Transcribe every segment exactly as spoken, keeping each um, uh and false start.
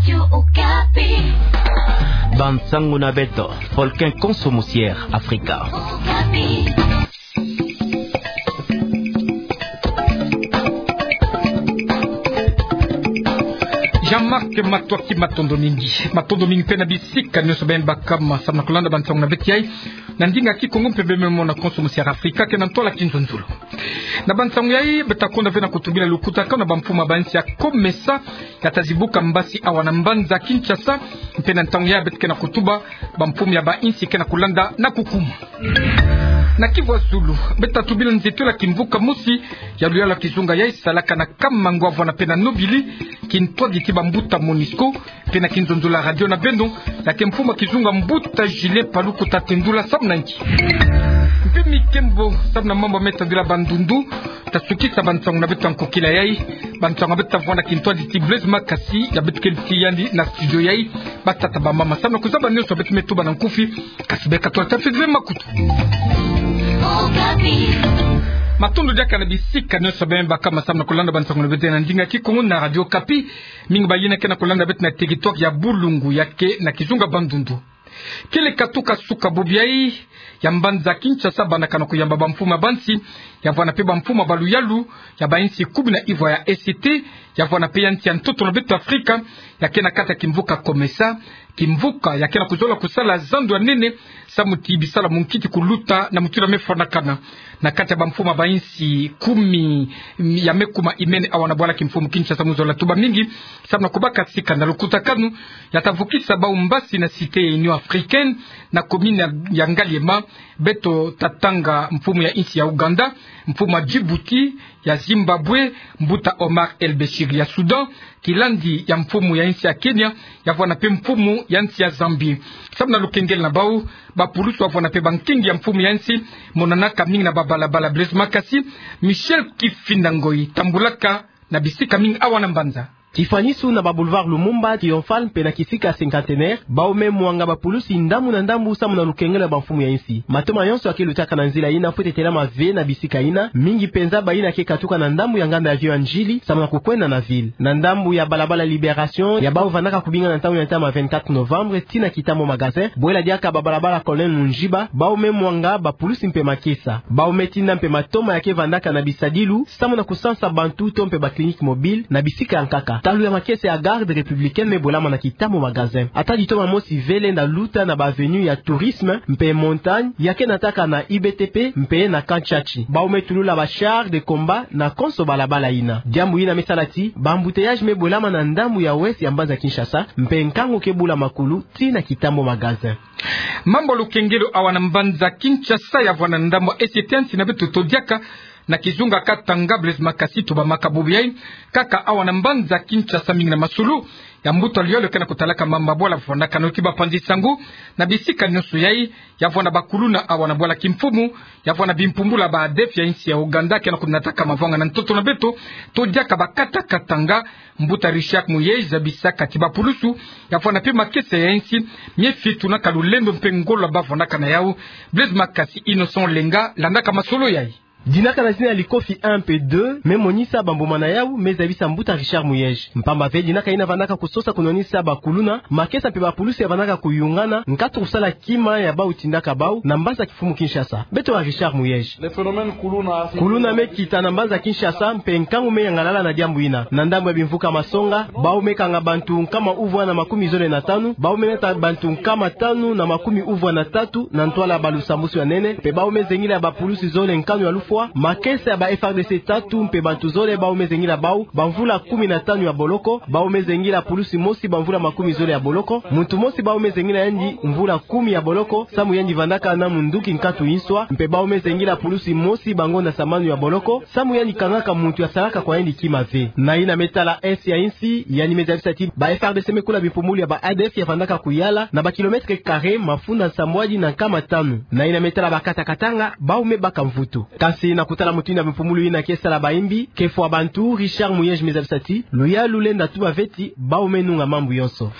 Radio Okapi. Bansangu na beto, folken konso musier Afrika. Okapi. Jean-Marc Matuaki, matondo mingi. Matondo mingi pe na bisika nionso beno baka ma samu na kulanda bansangu na beto yai. Na ndinga Kikongo mpe beno me mona konso musier Afrika ke na ntwala kinzonzolo. Na bansangu yai, beto ta konda ve na kutubila lukutakanu na bamfumu ya bansi ya COMESA, ya ta zibuka mbasi awa na mbanza Kinshasa, mpe na ntangu yai beto ke na kutuba bamfumu ya bansi ke na kulanda na kukuma. Na Kivu ya Zulu, beto ta tubila nzietolo ya kimvuka mosi ya luyalu ya kizunga yai salaka na Kamango, avwanda pe na Nobili, kintwadi ti bambuta MONUSCO, mpe na kinzonzolo ya radio na beno, ya ke mfumu ya kizunga mbuta Julien Paluku ta tendula samu na nki. Mpe mi kembo, samu na mambu me tadila bandundu, ta sukisa bansangu na beto ya nkokila yai, bansangu ya beto ta vwanda kintwadi ti Blaise Makasi, ya beto kedi ti yandi na studio yai, batata bamama, samu na kuzaba nionso beto me tuba na nkufi, kasi beka twa ta fidile makutu. Matondo diaka na bisika nionso beno baka ma samu na kulanda bansangu na beto na ndinga Kikongo na Radio Okapi. Mingi bayina ke na kulanda beto na territoire ya Bulungu, ya ke na kizunga Bandundu. Kele katuka suka bubu yai ya mbanza Kinshasa, bandakana kuyamba bamfumu ya bansi, ya vwanda pe bamfumu ya baluyalu ya bansi kumi na ivwa ya E C T, ya vwanda pe ya nsi ya ntoto na beto Afrika, ya ke na kati ya kimvuka COMESA, kimvuka ya ke na kuzola kusala zando ya nene, samu ti bisalu ya munkiti kuluta na mutindu ya me fwanakana. Na kati ya bamfumu ya bansi kumi ya me kuma imene awa na bwala kimfumu Kinshasa, mu zola tuba mingi, samu na kubaka sika na lukutakanu ya ta vukisa bau mbasi na Cité ya Union Africaine, na commune ya, ya Ngaliema, beto ta tanga mfumu ya nsi ya Ouganda, mfumu ya Djibouti, ya Zimbabwe, mbuta Omar El Béchir ya Soudan, kilandi ya mfumu ya nsi ya Kenya, ya vwanda pe mfumu ya nsi ya Zambie. Samu na lukengele na bau, bapulusu ya vwanda pe bankingi ya mfumu ya nsi, monanaka mingi na babalabala. Blaise Makasi, Michel Kifinda Ngoyi, tambulaka na bisika mingi awa na mbanza. Kifanisu na ba boulevard Lumumba, Triomphal mpe na kisika Cinquantenaire, bau me mwanga bapulusi ndambu na ndambu samu na lukengele ya bamfumu ya nsi. Matoma yonso ya ke lutaka na nzila yina fwete telama ve na bisika yina, mingi penza bayina ke katuka na ndambu ya nganda ya Vieux Ndjili, samu na kukwenda na ville. Na ndambu ya balabala Libération, ya bau vandaka kubinga na ntangu ya ntama vingt-quatre novembre, tii na Kitambo Magasin, bwela diaka babalabala Colonel Mundjiba, bau me mwanga bapulusi mpe makesa. Bau me tinda mpe matoma ya ke vandaka na bisadilu, samu na kusansa bantu to mpe ba clinique mobile na bisika ya nkaka. Talu ya makesa ya Garde républicaine me bwelama na Kitambo Magasin. Ata ditoma mosi ve lenda luta na ba avenue ya Tourisme, mpe Montagne, ya ke nataka na I B T P, mpe na Kantshatshi. Bau me tulula ba chars de combat na konso balabala yina. Diambu yina me sala ti ba embouteillages me bwelama na ndambu ya ouest ya mbanza Kinshasa, mpe nkangu ke bula makulu tii na Kitambo Magasin. Mambu ya lukengelo awa na mbanza Kinshasa ya vwanda na ndambu ya E C T ya nsi na beto, to diaka na kizunga Katanga. Blaise Makasi, tubamaka bubu yai, kaka awa na mbanza Kinshasa mingi na masolo ya mbuta luyalu ke na kutalaka mambu ya bwala vwandakana, oti bapanzi sango na bisika nionso yai, ya vwanda bakuluna awa na bwala kimfumu, ya vwanda bimpumbulu ya ba ADF ya nsi ya Ouganda ke na kunataka mavanga na ntoto na beto, to diaka bakata Katanga. Mbuta Richard Muyej zabisaka ti bapulusu ya vwanda mpe makesa ya nsi, mie fitunaka lulendo mpe ngolo ya bavwandaka na yau. Blaise Makasi, Innocent Olenga landaka masolo yai. Dinaka na zina ya Likofi un mpe deux, me monisa bambuma na yau, me zabisa mbuta Richard Muyej. Mpamba ve dinaka yina vandaka kusosa kunwanisa bakuluna, makesa mpe bapulusi ya vandaka kuyungana, nkatu kusala kima ya bau tindaka bau, na mbanza kimfumu Kinshasa. Beto wa Richard Muyej. Kuluna me kita na mbanza Kinshasa, mpe nkangu me yangalala na diambu yina. Na ndambu ya bimvuka Masonga, bau me kanga bantu nkama uvwa na makumi zole na tanu, bau me nata bantu nkama tanu na makumi uvwa na tatu na ntwala ya balusambusu ya nene, mpe bau me zengila bapulusi zole nkanu ya lufwa, makesa ya ba F R D C tatu, mpe bantu zole bau me zengila bau bamvula kumi na tanu ya boloko, bau me zengila pulusi mosi bamvula makumi zole ya boloko, muntu mosi bau me zengila yandi mvula kumi ya boloko, samu yandi vandaka na munduki nkatu inswa, mpe bau me zengila pulusi mosi bangonda samanu ya boloko, samu yandi kangaka muntu ya salaka kwa yandi kima ve. Na yina me tala est ya insi, yandi me zabisa ti ba F R D C me kula bimpumbulu ya ba A D F ya vandaka kuyala na ba kilomètres carrés mafunda nsambwadi na nkama tanu. Na yina me tala bakata Katanga, bau me baka mvutu. Kansi Ti na kutala mutindu ya mpumbulu ina ke sala bayimbi, ke fwa bantu, Richard Muyej me zabisa ti luyalu lenda tuba ve ti bawu me nunga mambu yonso.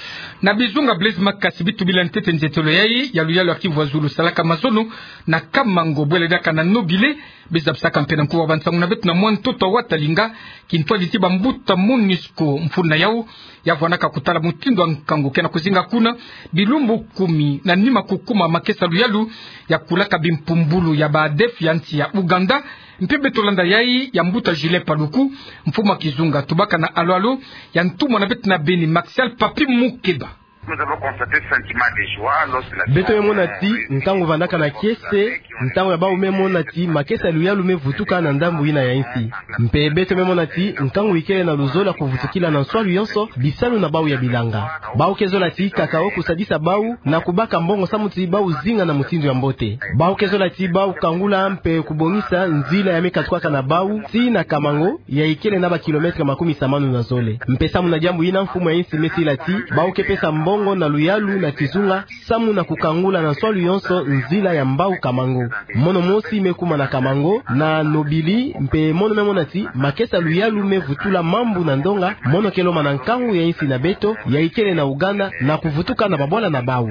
Na bizunga Blaise Makasi, bi tubila ntete nzietolo yayi ya luyalu ya Kivu ya zulu salaka mazono na Kamango, bwela diaka na Nobile. Bi zabisaka mpe na nkuwa bansangu na beto na mwa ntoto wa Talinga, kintwadi ti bambuta MONUSCO mfunu na yawu ya vwanaka kutala mutindu ya nkangu ke na kuzinga kuna. Bilumbu kumi na nima kukuma makesa luyalu ya kulaka bimpumbulu ya ba ADF ya nsi ya Ouganda. Mpe beto landa yayi ya mbuta Julien Paluku, mfumu ya kizunga tubaka na alo-alo ya ntumwa na beto na Beni, Maxial Papi Mukeba. Nous avons constaté ce sentiment de joie lorsque la... Beto me mona ti nkangu vandaka na kiese ntangu ya bawu me mona ti makesa luyalu me vutuka na ndambu ina ya insi. Mpe beto me mona ti nkangu ikele na luzolo ya kuvutukila na nswalu yonso bisalu na bawu ya bilanga. Bawu ke zola ti kaka wo kusadisa bawu na kubaka mbongo samu ti bawu zinga na mutindu ya mbote. Bawu ke zola ti bawu kangula mpe kubongisa nzila ya me katukwaka na bawu ti na Kamango, ya ikele na ba kilomètre makumi samanu na zole. Mpe samu na diambu ina, mfumu ya insi me sila ti bawu ke pesa mbongo na luyalu na kizunga samu na kukangula na nswalu yonso nzila ya Mbau-Kamango. Mono mosi me kuma na Kamango, na Nobili, mpe mono me mona ti makesa luyalu me vutula mambu na ndonga, mono ke lomba na nkangu ya insi na beto ya ikele na Ouganda na kuvutuka na babwala na bawu.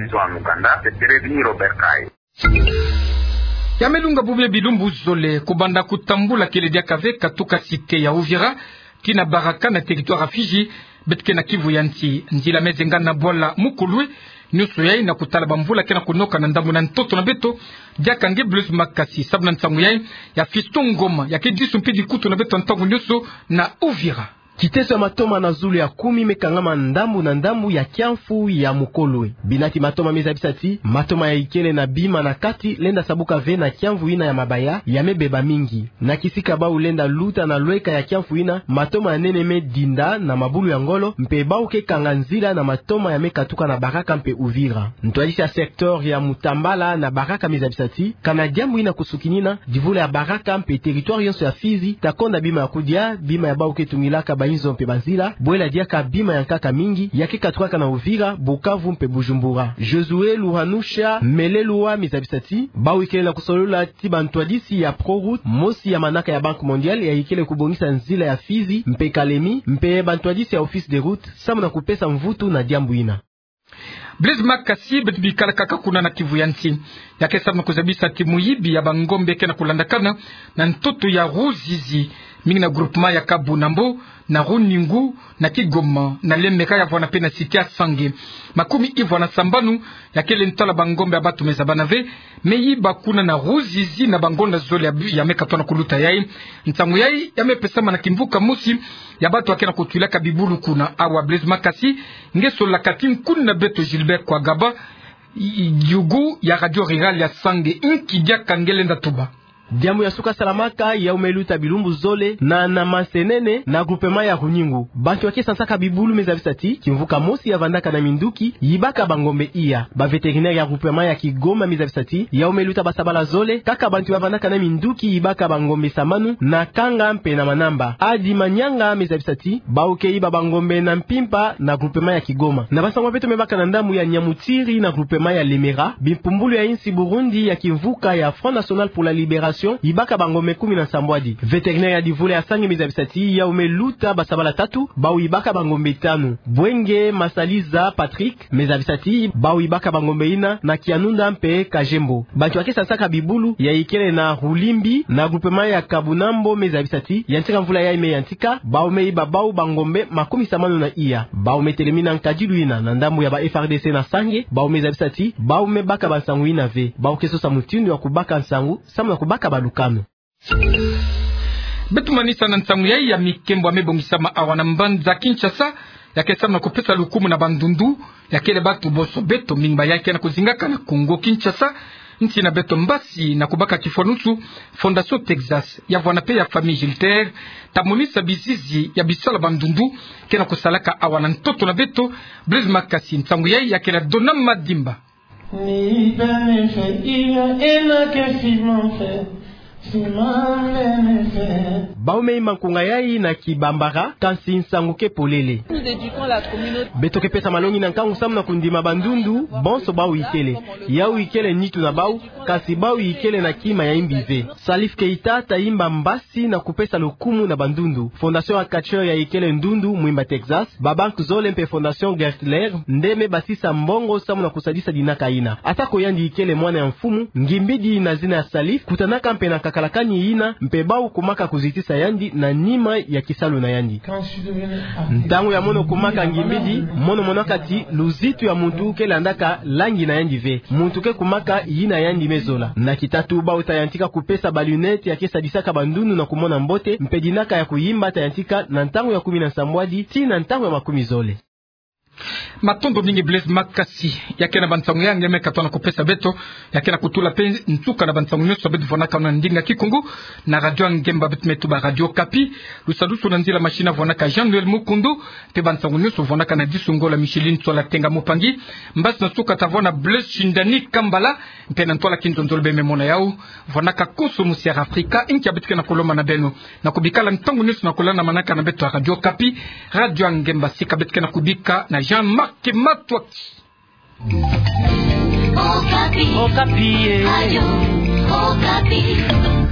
Ya me lunga bubu ya bilumbu zole, kubanda kutambula kele diaka ve katuka cité ya Uvira tii na Baraka na territoire ya Fizi, beto ke na Kivu ya nsi. Nzila me zenga na bwala Mukulwe, nioso yayi na kutala bamvula ke na kunoka na ndambu na ntoto na beto. Diaka nge Blaise Makasi, sabu na nsangu yayi ya Fiston Ngoma, ya ke disu mpe dikutu na beto ntangu nioso na Uvira. Kiteso ya matoma na zulu ya kumi me kangama ndambu na ndambu ya kiamfu ya Mukulwe. Bina ti matoma me zabisa ti matoma ya ikele na bima na kati lenda sabuka ve na kiamfu ina ya mabaya, ya me beba mingi. Na kisika bawu lenda luta na lweka ya kiamfu ina, matoma ya nene me dinda na mabulu ya ngolo, mpe bawu ke kanga nzila na matoma ya me katuka na Baraka mpe Uvira. Ntwadisi ya secteur ya Mutambala na Baraka me zabisa ti kana diambu ina kusukinina, divula ya Baraka mpe territoire yonso ya Fizi ta konda bima ya kudia, bima ya bawu ke tungilaka bainzo mpe banzila, bwela diaka bima ya nkaka mingi ya ke katukaka na Uvira, Bukavu mpe Bujumbura. Josué Luhanusha Melelwa me zabisa ti bawu ikele na kusolola ti bantwadisi ya Proroute, mosi ya manaka ya Banque Mondiale ya ikele kubongisa nzila ya Fizi mpe Kalemi, mpe bantwadisi ya Office des Routes, samu na kupesa mvutu na diambu ina. Blaise Makasi, beto bikala kaka kuna na Kivu ya nsi. Ya ke samu na kuzabisa ti muyibi ya bangombe ke na kulandakana na ntoto ya Ruzizi, mingi na groupement ya Kabunambo, na Runingu, na Kigoma, na Lemera, ya vwana mpe na cité ya Sange. Makumi ivwa na sambanu ya kele ntwala bangombe ya bato me zabana ve me yiba kuna na Ruzizi na bangonda zole ya, ya me katwa na kuluta yayi. Nsangu yayi ya me pesama na kimvuka mosi ya bato ya ke na kutwilaka bibulu kuna. Awa Blaise Makasi, nge solaka ti nkuni na beto Gilbert Kwagaba, i-, i-, yugu ya Radio Rurale ya Sange, inki diaka nge lenda tuba? Diambu ya suka salamaka, yawu me luta bilumbu zole na, na Masenene, na groupement ya Runingu. Bantu ya ke sansaka bibulu me zabisa ti kimvuka mosi ya vandaka na minduki yibaka bangombe iya. Ba vétérinaire ya groupement ya Kigoma me zabisa ti yawu me luta basabala zole, kaka bantu ya vandaka na minduki yibaka bangombe samanu na Kanga mpe na Manamba. Adi Manyanga me zabisa ti bawu ke yiba bangombe na Mpimpa na groupement ya Kigoma. Na bansangu ya beto me baka na ndambu ya Nyamutiri na groupement ya Lemera, bimpumbulu ya insi Burundi ya kimvuka ya Front National pour la Libération yibaka bangombe kumi na nsambwadi. Vétérinaire ya divula ya Sange me zabisa ti yawu me luta basabala tatu, bawu yibaka bangombe tanu. Bwenge Masaliza Patrick me zabisa ti bawu yibaka bangombe ina na Kianunda mpe Kajembo. Bantu ya ke sansaka bibulu ya ikele na Rulimbi na groupement ya Kabunambo me zabisa ti yantika mvula yayi me yantika, bawu me yiba bawu bangombe makumi samanu na iya. Bawu me telemina nkadilu ina na ndambu ya ba F A R D C na Sange, bawu me zabisa ti bawu me baka bansangu ina ve. Bawu ke sosa mutindu ya kubaka nsangu samu na kubaka balukanu. Beto manisa na nsangu yayi ya mikembo ya me bongisama awa na mbanza Kinshasa, ya ke samu na kupesa lukumu na bandundu ya kele bato bonso beto, mingi baya ke na kuzingaka na Congo Kinshasa, nsi na beto mbasi, na kubaka kifwanusu. Fondation Texas ya vwana mpe ya famille Gilter ta monisa bizizi ya bisalu ya bandundu ke na kusalaka awa na ntoto na beto. Blaise Makasi, nsangu yayi ya kele ya Dona Madimba. Ni bene fe iya ena ke fi mon fe. Bau me imba nkunga yayi na kibambara, kansi nsangu ke polele. Beto ke pesa malongi na nkangu samu na kundima bandundu bonso bau ikele. Yau ikele nitu na bau, kansi bau ikele na kima ya imbi ve. Salif Keita ta imba mbasi na kupesa lukumu na bandundu. Fondation ya Catcheur ya ikele ndundu mwimba Texas, ba banque zole mpe Fondation Gertler nde me basisa mbongo samu na kusadisa dinaka yina. Atako yandi ikele mwana ya mfumu, ngimbidi na zina ya Salif kutanaka mpe na kakalakani yina, mpe bau kumaka kuzitisa yandi na nima ya kisalu na yandi. Ntangu ya mono kumaka ngimbidi, mono monaka ti luzitu ya muntu ke landaka langi na yandi ve. Muntu ke kumaka yina yandi me zola. Na kitatu, bau ta yantika kupesa ba lunettes ya ke sadisaka bandundu na kumona mbote, mpe dinaka ya kuyimba ta yantika na ntangu ya kumi na nsambwadi tii na ntangu ya makumi zole. Matondo mingi Blaise Makasi. Ya ke na bansangu ya nge me katoa na kupesa beto. Ya ke na kutula mpe nsuka na bansangu nyonso beto vwanaka na ndinga Kikongo na Radio Ngemba, beto me tuba Radio Okapi. Lusadusu na nzila machine vwanaka Jean-Noël Mukundu. Mpe bansangu nyonso vwanaka na disu ngolo Micheline Tsola Tenga Mupangi. Mbasi na nsuka ta vwana Blaise Shindani Kambala. Mpe na ntwala kinzonzolo beno me mona yau, vwanaka konso mu Sierra Africa. Inki ya beto ke na kulomba na beno? Na kubikala ntangu nyonso na kulanda manaka na beto ya Radio Okapi, Radio Ngemba. Sika beto ke na kubika na Jean-Marc Matwaki. Okapi. Okapi, eh. Radio Okapi.